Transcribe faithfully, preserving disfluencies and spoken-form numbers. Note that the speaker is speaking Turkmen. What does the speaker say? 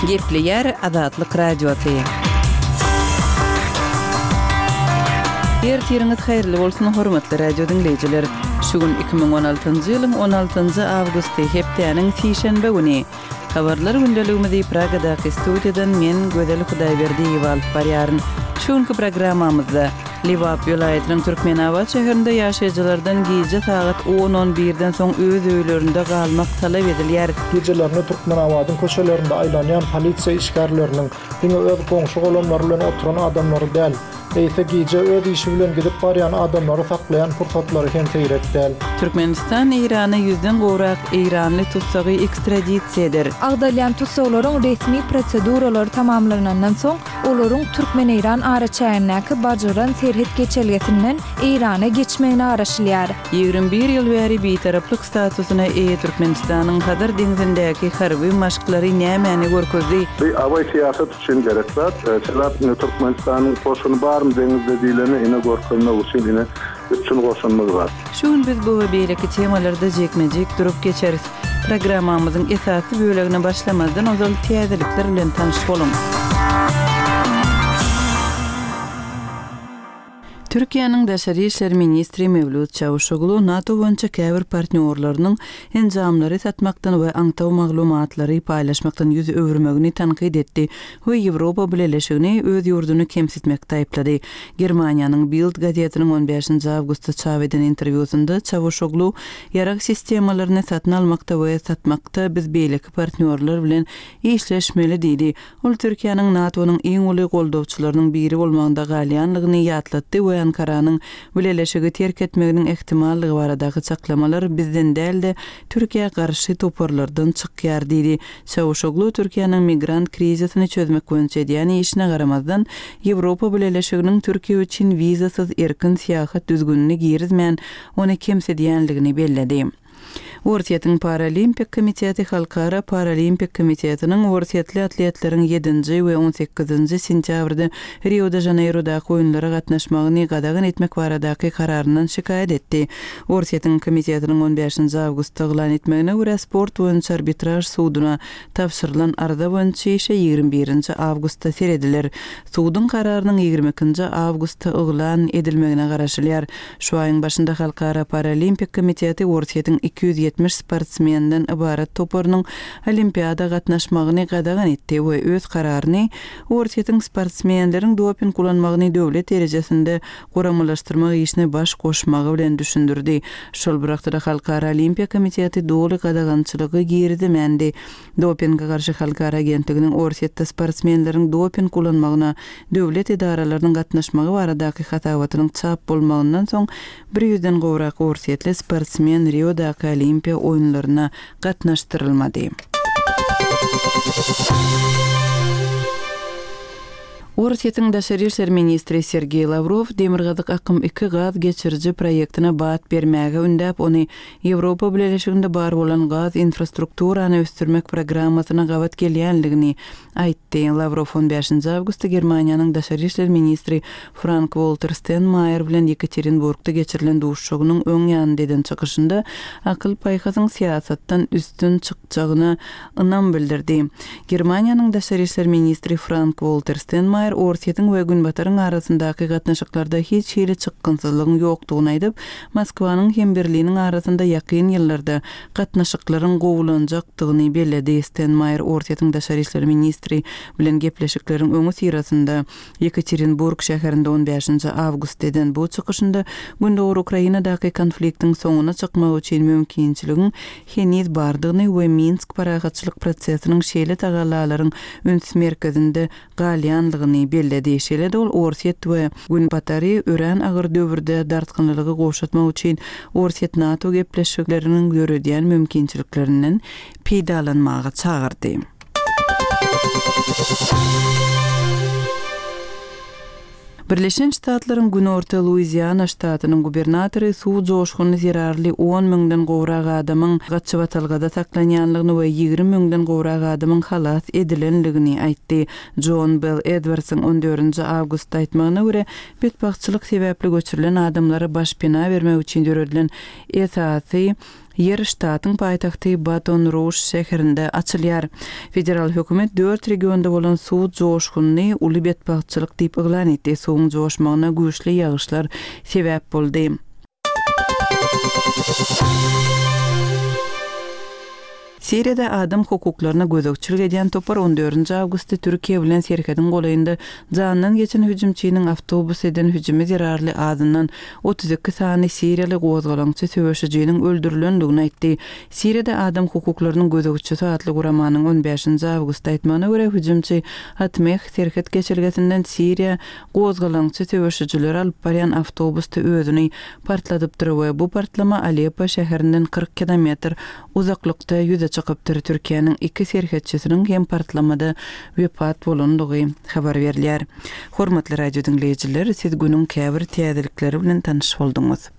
Gepleýär Azatlyk Radiosy. Ertiriňiz haýyrly bolsun, hormatly radio diňleýjiler. Şu gün iki müň on altynjy ýylyň on altynjy awgusty, hepdäniň sişenbe güni. Habarlar gündeligimizi Pragadaky studiýadan men Gözel Hudaýberdiýewa alyp barýaryn. Şu günki programmamyzda Lebap welaýatynyň Türkmenabat şäherinde ýaşaýjylardan gije sagat on-on birden soň öz öýlerinde galmak talap edilýär. Gijelerine Türkmenabadyň köçelerinde aýlanýan polisiýa işgärleriniň diňe öz goňşy-golamlary bilen oturan adamlary däl, eýse gije öz işi bilen gidip barýan adamlary saklaýan pursatlary hem seýrek däl. Türkmenistan Eýrana ýüzden gowrak eýranly tussagy ekstradisiýa eder. Agdalýan tussaglaryň resmi proseduralary tamamlanandan soň, olaryň Türkmen-Eýran araçägindäki Bajyran serhet geçelgesinden Eýrana geçmegine garaşylýar. Ýigrimi bir ýyl bäri bitaraplyk statusyna eýe Türkmenistanyň Hazar deňzindäki harby maşklary nämäni görkezdi? Bu awaý syýasat üçin gerek zat. Sebäp ine Türkmenistanyň goşuny barmy deňizde diýleni ine görkezmek üçin ine üpjün goşunymyz bar. Şu gün biz bu we beýleki temalarda jikme-jik durup geçeris. Programmamyzyň esasy bölegine başlamazdan ozal täzelikler bilen tanyş boluň. Türkiýäniň daşary işler ministri Mewlüt Çawuşoglu NATO boýunça käbir partnýorlarynyň enjamlary satmakdan we aňtaw maglumatlary paýlaşmakdan ýüz öwürmegini tankyt etdi we Ýewropa Bileleşigini öz ýurduny kemsitmekde aýyplady. Germaniýanyň Bild gazetiniň on bäşinji awgustda çap eden interwýusynda Çawuşoglu ýarag sistemalaryny satyn almakda we satmakda biz beýleki partnýorlar bilen işleşmeli diýdi. Ol Türkiýäniň NATO-nyň iň uly goldawçylarynyň biri bolmagynda galýanlygyny ýatlatdy we Ankaranyň Bileleşigi terk etmeginiň ähtimallygy baradaky çaklamalar bizden däl-de Türkiýä garşy toparlardan çykýar diýdi. Çawuşoglu Türkiýäniň migrant krizisini çözmek boýunça edýän işine garamazdan Ýewropa Bileleşiginiň Türkiýe üçin wizasyz erkin syýahat düzgünini girizmän ony kemsidýänligini belledi. Orsýetiň Paralimpik komiteti Halkara Paralimpik komitetiniň orsýetli atletleriň ýedinji we on sekizinji sentýabrda Rio de Janeirodaky oýunlara gatnaşmagyny gadagan etmek baradaky kararyndan şikaýat etdi. Orsýetiň komitetiniň on bäşinji awgustda yglan etmegine görä sport boýunça arbitraž suduna tabşyrylan arza boýunça işe ýigrimi birinji awgustda serediler. Suduň kararynyň ýigrimi ikinji awgustda yglan edilmegine garaşylýar. Şu aýyň başynda Halkara Paralimpik komiteti Orsýetiň iki ýüz ýetmiş sportsmenden ybarat toparynyň olimpiada gatnaşmagyny gadagan etdi we öz kararyny Orsýetiň sportsmenleriň doping ulanmagyny döwlet derejesinde guramalaşdyrmak işine baş goşmagy bilen düşündirdi. Şol bir wagtda Halkara Olimpiýa komiteti doly gadagançylygy girizmändi. Dopinge garşy Halkara agentliginiň Orsýetde sportsmenleriň doping ulanmagyna döwlet edaralarynyň gatnaşmagy baradaky hasabatynyň çap bolmagyndan soň bir ýüzden gowrak orsýetli sportsmen Riodaky Olimpiýa oýunlaryna gatnaşdyrylmady. Orsýetiň daşary işler ministri Sergeý Lawrow Demirgazyk akym iki gaz geçiriji proýektine bat bermäge ündäp, ony Ýewropa Bileleşiginde bar bolan gaz infrastrukturany ösdürmek programmasyna gabat gelýänligini aýtdy. Lawrow on bäşinji awgustda Germaniýanyň daşary işler ministri Frank-Walter Steinmeier bilen Ýekaterinburgda geçirilen duşuşygynyň öň ýanynda eden çykyşynda akyl-paýhasyň syýasatdan üstün çykjagyna ynam bildirdi. Germaniýanyň daşary işler ministri Frank-Walter Steinmeier Orsýetiň we Günbataryň arasyndaky gatnaşyklarda hiç hili çykgynsyzlygyň ýokdugyny aýdyp, Moskwanyň hem Berliniň arasynda ýakyn ýyllarda gatnaşyklaryň gowulanjakdygyny belledi. Steinmeier Orsýetiň daşary işler ministri bilen gepleşikleriň öňi syrasynda Ýekaterinburg şäherinde on bäşinji awgust eden bu çykyşynda Gündogar Ukrainadaky konfliktiň soňuna çykmagy üçin mümkinçiligiň heniz bardygyny we Minsk parahatçylyk prosesiniň şeýle tagallalaryň üns merkezinde galýanlygyny belledi. Şeýle-de ol Orsýet we Günbatary örän agyr döwürde dartgynlygy gowşatmak üçin Orsýet NATO gepleşikleriniň döredýän mümkinçiliklerinden peýdalanmaga çagyrdy. Birleşen Ştatlaryň Günorta Luiziana ştatynyň gubernatory suw joşguny zerarly on müňden gowrak adamyň gaçybatalgada saklanýanlygyny we ýigrimi müňden gowrak adamyň halas edilenligini aýtdy. John Bell Edwardsyň on dördünji awgustda aýtmagyna görä, betbagtçylyk sebäpli göçürilen adamlara başpena bermek üçin döredilen esasy ýer ştatyň paýtagty Baton-Ruž şäherinde açylýar. Federal hökümet dört regionda bolan suw joşgunyny uly betbagtçylyk diýip yglan etdi. Suwuň joşmagyna güýçli ýagyşlar sebäp boldy. Siriýada adam hukuklaryna gözegçilik edýän topar on dördünji awgustda Türkiýe bilen serhediň golaýynda janyndan geçen hüjümçiniň awtobus eden hüjümi zerarly azyndan otuz iki sany siriýaly gozgalaňçy söweşijiniň öldürilendigini aýtdy. Siriýada adam hukuklarynyň gözegçisi atly guramanyň on bäşinji awgustda aýtmagyna görä, hüjümçi Atmeh serhet geçelgesinden Siriýa gozgalaňçy söweşijileri alyp barýan awtobusda özüni partladypdyr we bu partlama Aleppo şäherinden kyrk kilometr uzaklykda ýüze çykypdyr. Türkiýäniň iki serhetçisiniň hem partlamada wepat bolandygy habar berilýär. Hormatly radio diňleýjiler, siz günüň käbir täzelikleri bilen tanyş bolduňyz.